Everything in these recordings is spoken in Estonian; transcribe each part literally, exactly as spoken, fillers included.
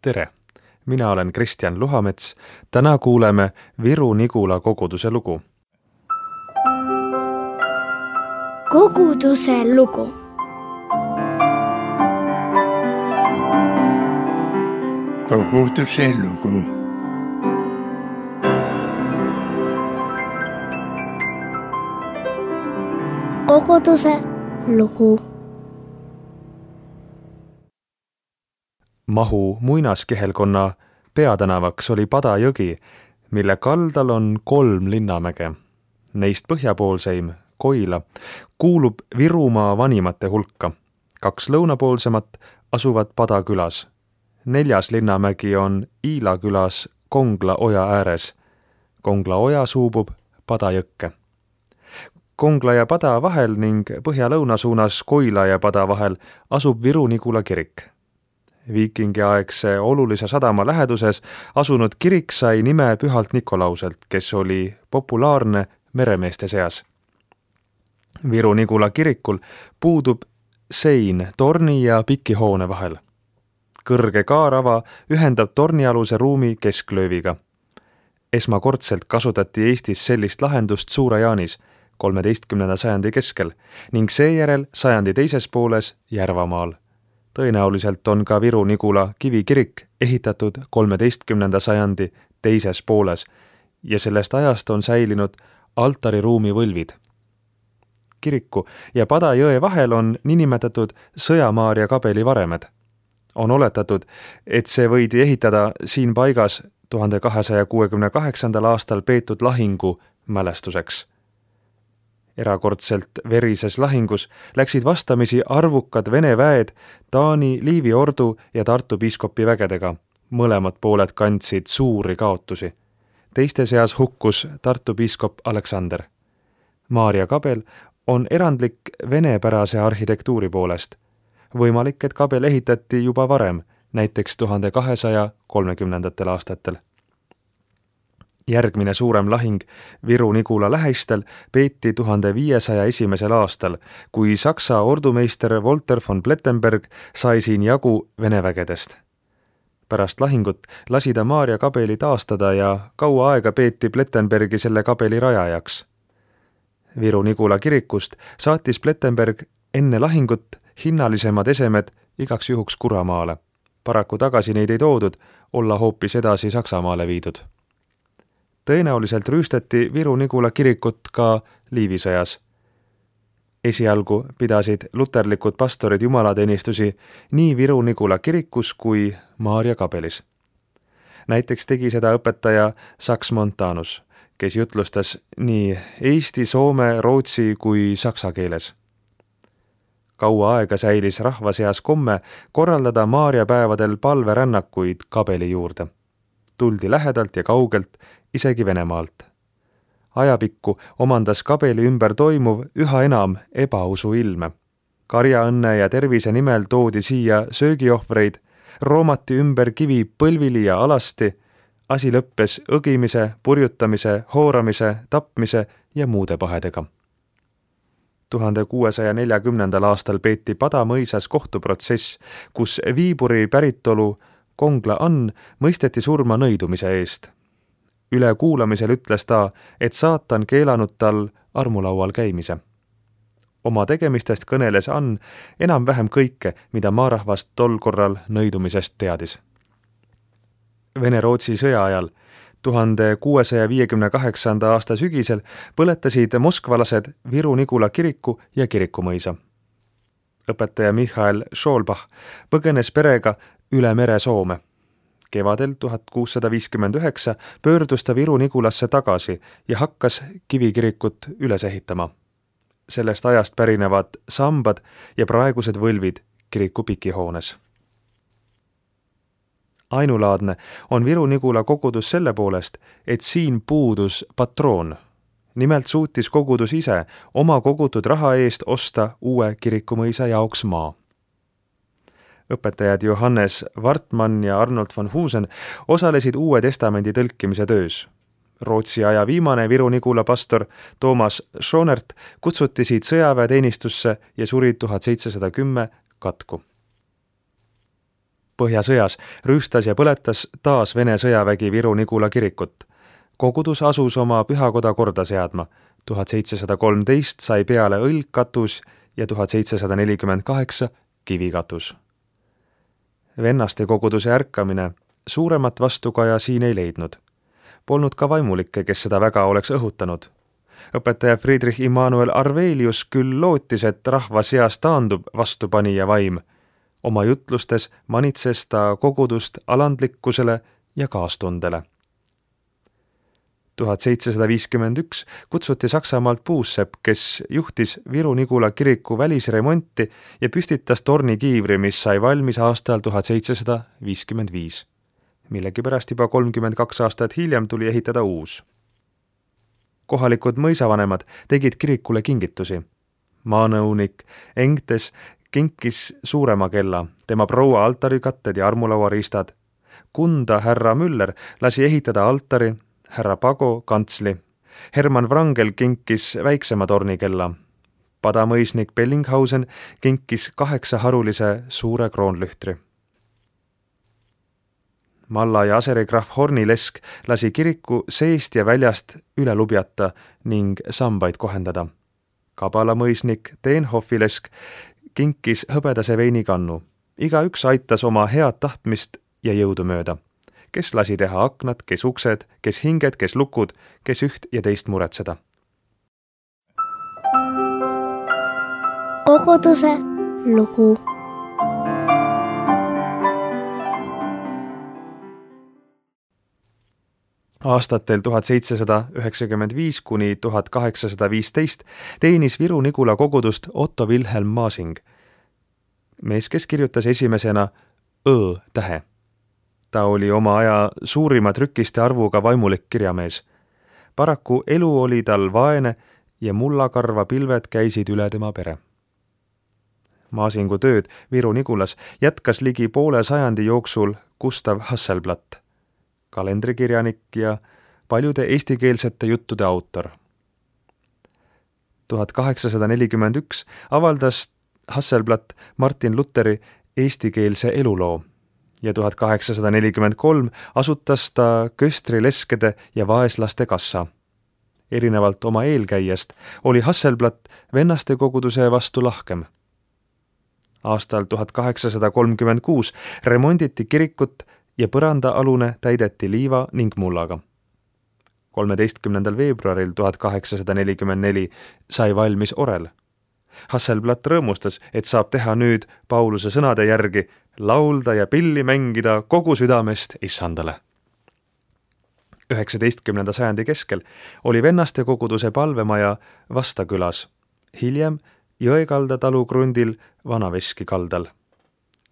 Tere! Mina olen Kristjan Luhamets. Täna kuuleme Viru-Nigula koguduse lugu. Koguduse lugu. Koguduse lugu. Koguduse lugu. Mahu muinaskehelkonna peatänavaks oli Pada jõgi, mille kaldal on kolm linnamäge. Neist põhjapoolseim, Koila, kuulub Virumaa vanimate hulka. Kaks lõunapoolsemat asuvad Pada külas. Neljas linnamägi on Iila külas Kongla oja ääres. Kongla oja suubub Pada jõkke. Kongla ja Pada vahel ning põhja-lõuna suunas Koila ja Pada vahel asub Viru-Nigula kirik. Viikingiaegse olulise sadama läheduses asunud kirik sai nime Pühalt Nikolauselt, kes oli populaarne meremeeste seas. Viru-Nigula kirikul puudub sein torni ja piki hoone vahel. Kõrge kaarava ühendab tornialuse ruumi kesklööviga. Esmakordselt kasutati Eestis sellist lahendust Suure-Jaanis kolmeteistkümnenda sajandi keskel ning seejärel sajandi teises pooles Järvamaal. Tõenäoliselt on ka Viru-Nigula kivikirik ehitatud kolmeteistkümnenda sajandi teises pooles ja sellest ajast on säilinud altariruumi võlvid. Kiriku ja Pada jõe vahel on niinimetatud Sõjamaaria kabeli varemed. On oletatud, et see võidi ehitada siin paigas tuhande kahesaja kuuekümne kaheksandal aastal peetud lahingu mälestuseks. Erakordselt verises lahingus läksid vastamisi arvukad Vene väed Taani Liivi ordu ja Tartu piiskopi vägedega. Mõlemad pooled kandsid suuri kaotusi. Teiste seas hukkus Tartu piiskop Aleksander. Maarja kabel on erandlik venepärase arhitektuuri poolest. Võimalik, et kabel ehitati juba varem, näiteks tuhande kahesaja kolmekümnendatel aastatel. Järgmine suurem lahing Viru-Nigula lähistel peeti tuhande viiesaja esimesel aastal, kui Saksa ordumeister Walter von Plettenberg sai siin jagu Vene vägedest. Pärast lahingut lasi ta Maarja kabeli taastada ja kaua aega peeti Plettenbergi selle kabeli rajajaks. Viru-Nigula kirikust saatis Plettenberg enne lahingut hinnalisemad esemed igaks juhuks Kuramaale. Paraku tagasi neid ei toodud, olla hoopis edasi Saksamaale viidud. Tõenäoliselt rüüstati Viru-Nigula kirikut ka Liivisõjas. Esialgu pidasid luterlikud pastorid jumalateenistusi nii Viru-Nigula kirikus kui Maarja kabelis. Näiteks tegi seda õpetaja Saks Montanus, kes jutlustas nii eesti, soome, rootsi kui saksa keeles. Kaua aega säilis rahva seas komme korraldada Maarja päevadel palverännakuid kabeli juurde. Tuldi lähedalt ja kaugelt, isegi Venemaalt. Ajapikku omandas kabeli ümber toimuv üha enam ebausu ilme. Karjaõnne ja tervise nimel toodi siia söögiohvreid, roomati ümber kivi põlvili ja alasti, asi lõppes õgimise, purjutamise, hooramise, tapmise ja muude pahedega. tuhande kuuesaja neljakümnendal aastal peeti Pada mõisas kohtuprotsess, kus Viiburi päritolu Kongla Ann mõisteti surma nõidumise eest. Üle kuulamisel ütles ta, et saatan keelanud tal armulaual käimise. Oma tegemistest kõneles Ann enam-vähem kõike, mida maarahvast tol korral nõidumisest teadis. Vene-Rootsi sõja ajal tuhande kuuesaja viiekümne kaheksanda aasta sügisel põletasid moskvalased Viru-Nigula kiriku ja kirikumõisa. Õpetaja Michael Scholbach põgenes perega üle mere Soome. Kevadel tuhat kuussada viiskümmend üheksa pöördus ta Viru-Nigulasse tagasi ja hakkas kivikirikut üles ehitama. Sellest ajast pärinevad sambad ja praegused võlvid kiriku pikihoones. Ainulaadne on Viru-Nigula kogudus selle poolest, et siin puudus patroon. Nimelt suutis kogudus ise oma kogutud raha eest osta uue kirikumõisa jaoks maa. Õpetajad Johannes Wartmann ja Arnold von Husen osalesid Uue testamendi tõlkimise töös. Rootsi aja viimane Viru-Nigula pastor Toomas Schonert kutsuti siit sõjaväeteenistusse ja suri tuhat seitsesada kümme katku. Põhjasõjas rüüstas ja põletas taas Vene sõjavägi Viru-Nigula kirikut. Kogudus asus oma pühakoda korda seadma. tuhat seitsesada kolmteist sai peale õlgkatus ja tuhat seitsesada nelikümmend kaheksa kivikatus. Vennaste koguduse ärkamine suuremat vastukaja siin ei leidnud. Polnud ka vaimulikke, kes seda väga oleks õhutanud. Õpetaja Friedrich Immanuel Arvelius küll lootis, et rahva seas taandub vastupanija vaim. Oma jutlustes manitses ta kogudust alandlikkusele ja kaastundele. tuhat seitsesada viiskümmend üks kutsuti Saksamaalt puussepp, kes juhtis Viru-Nigula kiriku välisremonti ja püstitas tornikiivri, mis sai valmis aastal tuhat seitsesada viiskümmend viis. Millegipärast juba kolmkümmend kaks aastat hiljem tuli ehitada uus. Kohalikud mõisavanemad tegid kirikule kingitusi. Maanõunik Engtes kinkis suurema kella, tema proua altarikatted ja armulauariistad. Kunda härra Müller lasi ehitada altari, härra Pago kantsli. Hermann Wrangel kinkis väiksema tornikella. Padamõisnik Bellinghausen kinkis kaheksa harulise suure kroonlühtri. Malla ja aserikrahv Hornilesk lasi kiriku seest ja väljast üle lubjata ning sambaid kohendada. Kabalamõisnik Teenhoffilesk kinkis hõbedase veinikannu. Igaüks aitas oma head tahtmist ja jõudu mööda. Kes lasi teha aknad, kes uksed, kes hinged, kes lukud, kes üht ja teist muretseda. Koguduse lugu. Aastatel tuhat seitsesada üheksakümmend viis kuni tuhat kaheksasada viisteist teenis Viru-Nigula kogudust Otto Wilhelm Masing, mees, kes kirjutas esimesena Õ tähe. Ta oli oma aja suurima trükiste arvuga vaimulik kirjamees. Paraku elu oli tal vaene ja mullakarva pilved käisid üle tema pere. Masingu tööd Viru-Nigulas jätkas ligi poole sajandi jooksul Gustav Hasselblad, kalendrikirjanik ja paljude eestikeelsete juttude autor. tuhat kaheksasada nelikümmend üks avaldas Hasselblad Martin Lutheri eestikeelse eluloo ja tuhat kaheksasada nelikümmend kolm asutas ta köstrileskede ja vaeslaste kassa. Erinevalt oma eelkäijast oli Hasselblad vennaste koguduse vastu lahkem. Aastal tuhat kaheksasada kolmkümmend kuus remonditi kirikut ja põrandaalune täideti liiva ning mullaga. kolmeteistkümnendal veebruaril tuhat kaheksasada nelikümmend neli sai valmis orel. Hasselblad rõõmustas, et saab teha nüüd Pauluse sõnade järgi laulda ja pilli mängida kogu südamest issandale. üheksateistkümnenda sajandi keskel oli vennaste koguduse palvemaja Vastakülas, hiljem Jõekalda talu krundil Vanaveski kaldal.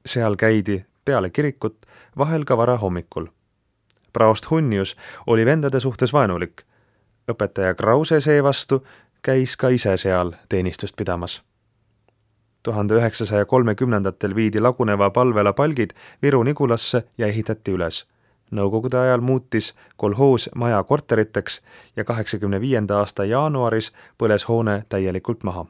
Seal käidi peale kirikut vahel ka vara hommikul. Praost Hunnius oli vendade suhtes vaenulik. Õpetaja Krause seevastu käis ka ise seal teenistust pidamas. tuhande üheksasaja kolmekümnendatel viidi laguneva palvela palgid Viru-Nigulasse ja ehitati üles. Nõukogude ajal muutis kolhoos maja korteriteks ja kaheksakümne viienda aasta jaanuaris põles hoone täielikult maha.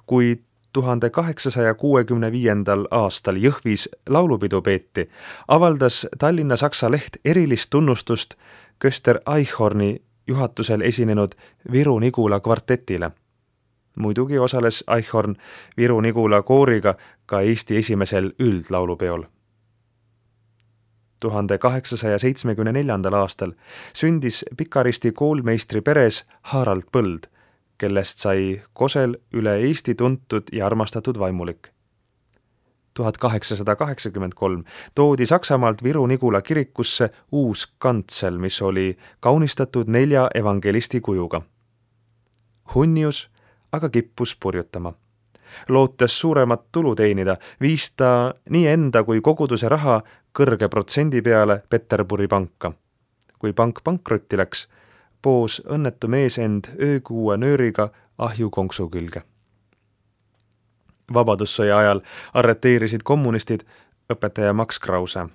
Kui tuhande kaheksasaja kuuekümne viiendal aastal Jõhvis laulupidu peeti, avaldas Tallinna Saksa leht erilist tunnustust Köster Eichhorni juhatusel esinenud Viru-Nigula kvartetile. Muidugi osales Eichhorn Viru-Nigula kooriga ka Eesti esimesel üldlaulupeol. tuhande kaheksasaja seitsmekümne neljandal aastal sündis Pikaristi koolmeistri peres Harald Põld, kellest sai Kosel üle Eesti tuntud ja armastatud vaimulik. tuhat kaheksasada kaheksakümmend kolm toodi Saksamaalt Viru-Nigula kirikusse uus kantsel, mis oli kaunistatud nelja evangelisti kujuga. Hunnius aga kippus purjutama. Lootes suuremat tulu teenida, viis ta nii enda kui koguduse raha kõrge protsendi peale Peterburi panka. Kui pank pankrotti läks, poos õnnetu mees end öökuue nööriga ahjukonksu külge. Vabadussõja ajal arreteerisid kommunistid õpetaja Max Krause.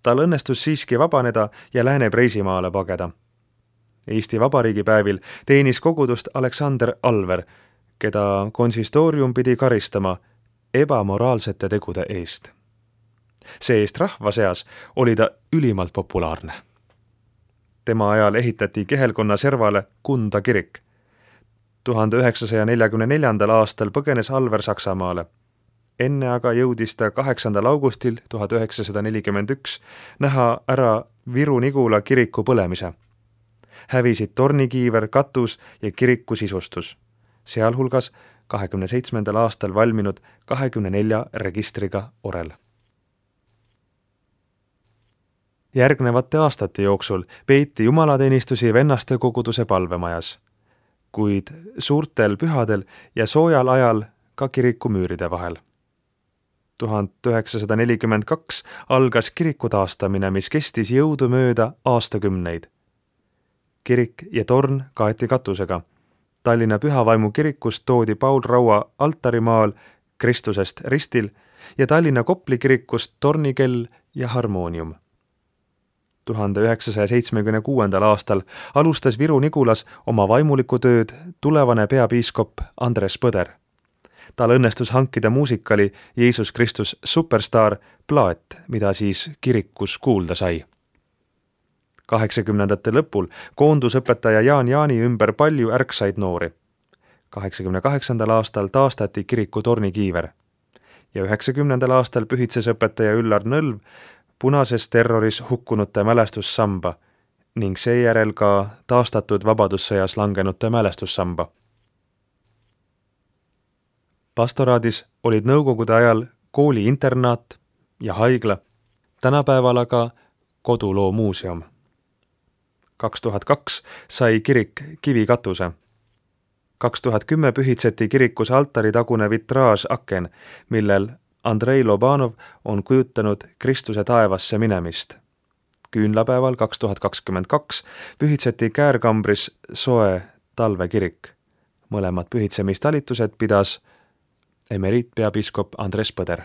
Tal õnnestus siiski vabaneda ja Lääne-Preisimaale pageda. Eesti Vabariigi päevil teenis kogudust Aleksander Alver, keda konsistoorium pidi karistama ebamoraalsete tegude eest. see-eest rahva seas oli ta ülimalt populaarne. Tema ajal ehitati Kehelkonna servale Kunda kirik. tuhande üheksasaja neljakümne neljandal aastal põgenes Alver Saksamaale. Enne aga jõudis ta kaheksandal augustil tuhat üheksasada nelikümmend üks näha ära Viru-Nigula kiriku põlemise. Hävisid tornikiiver, katus ja kiriku sisustus, sealhulgas kahekümne seitsmendal aastal valminud kahekümne nelja registriga orel. Järgnevate aastate jooksul peeti jumalateenistusi vennaste koguduse palvemajas, kuid suurtel pühadel ja soojal ajal ka kiriku müüride vahel. tuhat üheksasada nelikümmend kaks algas kiriku taastamine, mis kestis jõudumööda aastakümneid. Kirik ja torn kaeti katusega. Tallinna Pühavaimu kirikust toodi Paul Raua altarimaal Kristusest ristil ja Tallinna Kopli kirikust tornikell ja harmoonium. tuhande üheksasaja seitsmekümne kuuendal aastal alustas Viru-Nigulas oma vaimulikku tööd tulevane peapiiskop Andres Põder. Tal õnnestus hankida muusikali Jeesus Kristus Superstar plaat, mida siis kirikus kuulda sai. kaheksakümnendate lõpul koondus õpetaja Jaan Jaani ümber palju ärksaid noori. kaheksakümne kaheksandal aastal taastati kiriku tornikiiver ja üheksakümnendal aastal pühitses õpetaja Üllar Nõlv punases terroris hukkunute mälestussamba ning seejärel ka taastatud vabadussõjas langenute mälestussamba. Pastoraadis olid nõukogude ajal kooli internaat ja haigla, tänapäeval aga koduloo muuseum. kaks tuhat kaks sai kirik kivikatuse. kaks tuhat kümme pühitseti kirikus altari tagune vitraaž aken, millel Andrei Lobanov on kujutanud Kristuse taevasse minemist. Küünlapäeval kaks tuhat kakskümmend kaks pühitseti Käärkambris soe talvekirik. Mõlemad pühitsemistalitused pidas emeriitpeapiiskop Andres Põder.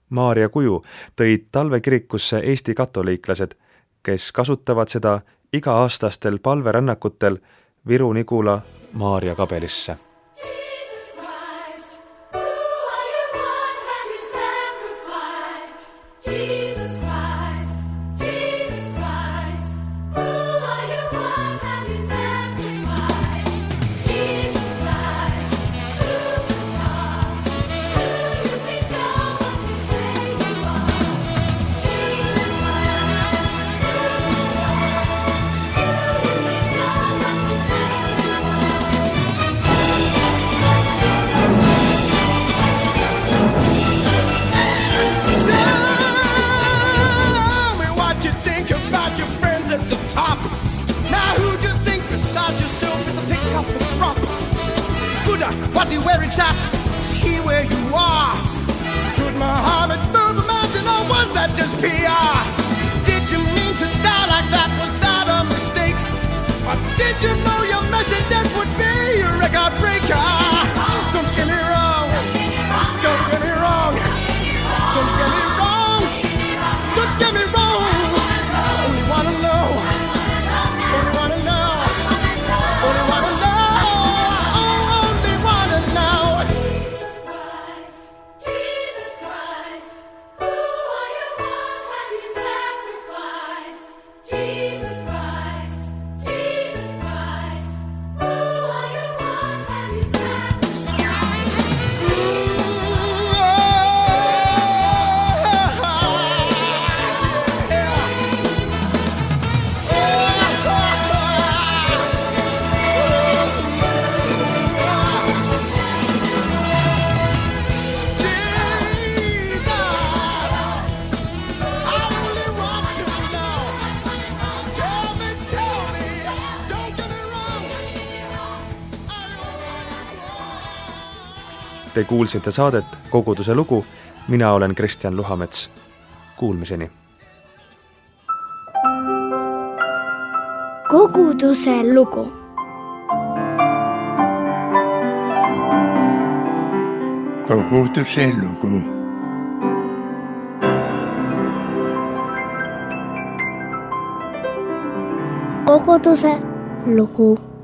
Maarja kuju tõid talvekirikusse Eesti katoliiklased, kes kasutavad seda iga-aastastel palverännakutel Viru-Nigula Maarja kabelisse. Was he wearing shots? Is he where you are? Should Muhammad move the mountain or was that just P R? Did you mean to die like that? Was that a mistake? Or did you know your message that would be a record breaker? Don't get me wrong. Don't get me wrong. Don't get me wrong. Don't get me wrong. Only wanna know. Only wanna know. Only wanna know. Te kuulsite saadet Koguduse lugu, mina olen Kristjan Luhamets. Kuulmiseni. Koguduse lugu. Koguduse lugu. Koguduse lugu.